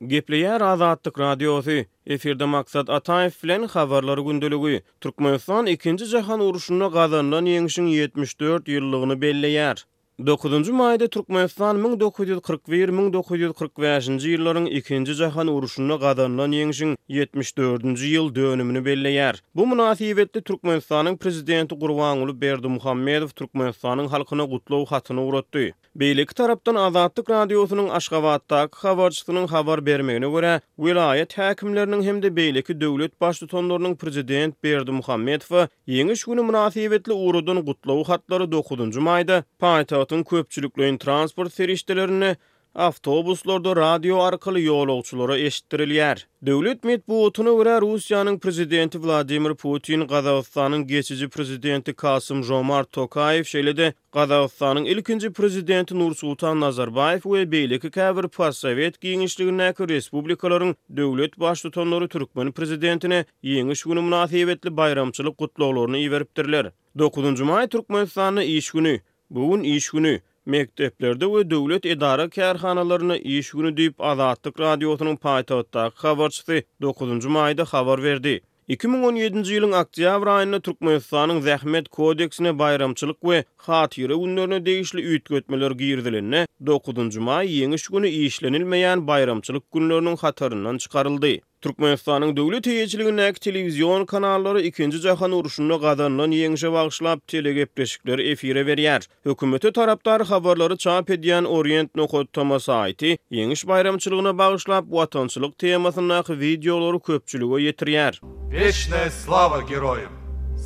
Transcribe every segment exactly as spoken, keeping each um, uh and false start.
Gepleýär Azatlyk Radiosy, Efirde Maksat Ataýew bilen Habarlar gündeligi. Türkmenistan Ikinji jahan urşunda gazanylan ýeňşiň ýetmiş dört ýyllygyny belleýär. Dokuzynjy maýda Türkmenistan müň dokuz ýüz kyrk bir, müň dokuz ýüz kyrk bäşinji ýyllaryň Ikinji jahan urşunda gazanylan ýeňşiň ýetmiş dördünji ýyl dönümini belleýär. Bu mynasybetli Türkmenistanyň Prezidenti Gurbanguly Berdimuhamedow Türkmenistanyň halkyna gutlag hatyny ugratdy. Beýleki tarapdan Azatlyk Radiosynyň Aşgabatdaky habarçysynyň habar bermegine görä, welaýat häkimleriniň hem-de beýleki döwlet baştutanlarynyň Prezident Berdimuhamedowa Ýeňiş güni mynasybetli ugradan gutlag hatlary dokuzynjy maýda paýtagtyň köpçülikleýin transport serişdelerinde, awtobuslarda radio arkaly ýolagçylara eşitdirilýär. Döwlet metbugatyna görä, Russiýanyň Prezidenti Wladimir Putin, Gazagystanyň geçiji Prezidenti Kasym-Žomart Tokaýew, şeýle-de Gazagystanyň ilkinji Prezidenti Nursultan Nazarbaýew we beýleki käbir postsowet giňişligindäki respublikalaryň döwlet baştutanlary türkmen Prezidentine Ýeňiş güni mynasybetli baýramçylyk gutlaglaryny iberipdirler. Dokuzynjy maý Türkmenistanda iş güni. Bu gün iş güni. Mekdeplerde we döwlet edara-kärhanalarynda iş güni diýip, Azatlyk Radiosynyň paýtagtdaky habarçysy dokuzynjy maýda habar berdi. Iki müň on ýedinji ýylyň oktýabr aýynda Türkmenistanyň Zähmet kodeksine baýramçylyk we hatyra günlerine degişli üýtgetmeler girizilende, dokuzynjy maý Ýeňiş güni işlenilmeýän baýramçylyk günleriniň hataryndan çykaryldy. Türkmenistanyň döwlet eýeçiligindäki telewizion kanallary Ikinji jahan urşunda gazanylan ýeňşe bagyşlap telegepleşikleri efire berýär. Hökümete tarapdar habarlary çap edýän Orient nokat tm saýty Ýeňiş baýramçylygyna bagyşlap watançylyk temasyndaky wideolary köpçülige ýetirýär. Weçnaýa slawa geroýam!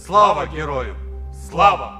Slawa geroýam! Slawa!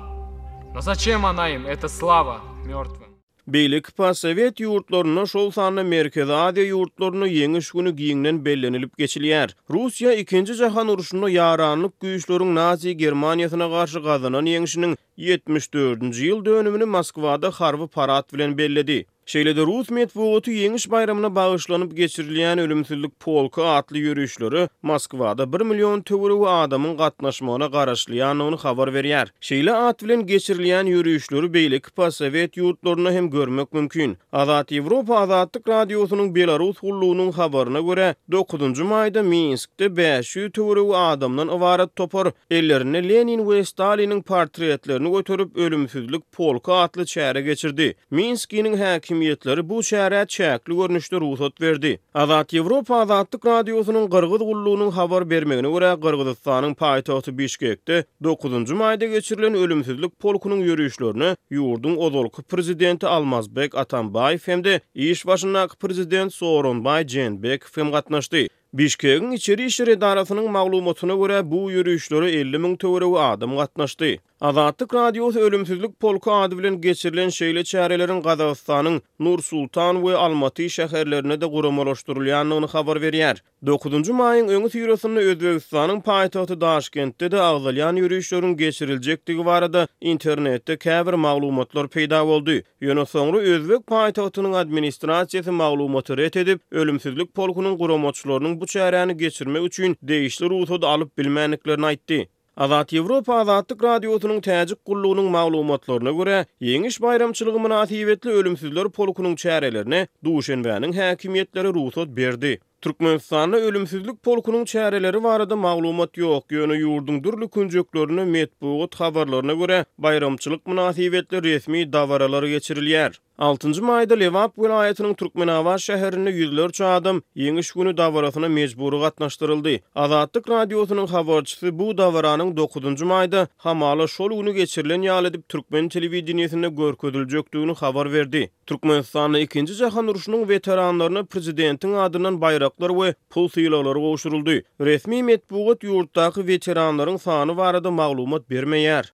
No zaçem ona im, eta slawa mörtwym? Beýleki postsowet ýurtlarynda, şol sanda Merkezi Aziýa ýurtlarynda Ýeňiş güni giňden bellenilip geçilýär. Russiýa Ikinji jahan urşunda ýaranlyk güýçleriň Nazi Germaniýasyna garşy gazanan ýeňşiniň ýetmiş dördünji ýyl dönümini Moskwada harby parad bilen belledi. Şeýle-de rus metbugaty Ýeňiş baýramyna bagyşlanyp geçirilýän Ölümsizlik polky atly ýörişlere Moskwada bir million töweregi adamyň gatnaşmagyna garaşylýandygyny habar berýär. Şeýle at bilen geçirilýän ýörişleri beýleki postsowet ýurtlarynda hem görmek mümkin. Azat Ýewropa Azatlyk Radiosynyň Belarus gullugynyň habaryna görä, dokuzynjy maýda Minskde bäş ýüz töweregi adamdan ybarat topar ellerinde Lenin we Staliniň portretlerini göterip Ölümsizlik polky atly çäre geçirdi. Minskiniň häkimiýetleri bu çärä çäkli görnüşde rugsat berdi. Azat Ýewropa Azatlyk Radiosynyň Gyrgyz gullugynyň habar bermegine görä, Gyrgyzystanyň paýtagty Bişkekde dokuzynjy maýda geçirilen Ölümsizlik polkunyň ýörişlerine ýurduň ozalky prezidenti Almazbek Atambaýew hem-de iş başyndaky prezident Sooronbaý Jeenbekow hem gatnaşdy. Bişkegiň içeri işler edarasynyň maglumatyna görä, bu ýörişlere elli müň töweregi adam gatnaşdy. Azatlyk Radiosy Ölümsizlik polky ady bilen geçirilen şeýle çäreleriň Gazagystanyň Nur-Sultan we Almaty şäherlerinde-de guramalaşdyrylýandygyny habar berýär. Dokuzynjy maýyň öňüsyrasynda Özbegistanyň paýtagty Daşkentde-de agzalýan ýörişleriň geçiriljekdigi barada internetde käbir maglumatlar peýda boldy. Ýöne soňra özbek paýtagtynyň administrasiýasy maglumaty ret edip, Ölümsizlik polkunyň guramaçylarynyň bu çäräni geçirmek üçin degişli rugsady alyp bilmändiklerini aýtdy. Azat Ýewropa Azatlyk Radiosynyň Täjik gullugynyň maglumatlaryna görä, Ýeňiş baýramçylygy mynasybetli Ölümsizler polkunyň çärelerine Duşenbäniň häkimiýetleri rugsat berdi. Türkmenistanda Ölümsizlik polkunyň çäreleri barada maglumat ýok, ýöne ýurduň dürli künjeklerinde metbugat habarlaryna görä, baýramçylyk mynasybetli resmi dabaralar geçirilýär. Altynjy maýda Lebap welaýatynyň Türkmenabat şäherinde ýüzlerçe adam Ýeňiş güni dabarasyna mejbury gatnaşdyryldy. Azatlyk Radiosynyň habarçysy bu dabaranyň dokuzynjy maýda hamala şol güni geçirilen ýaly edip türkmen telewideniýesinde görkeziljekdigini habar berdi. Türkmenistanda Ikinji jahan urşunyň weteranlaryna prezidentiň adyndan baýraklar we pul sylaglary gowşuryldy. Resmi metbugat ýurtdaky weteranlaryň sany barada maglumat bermeýär.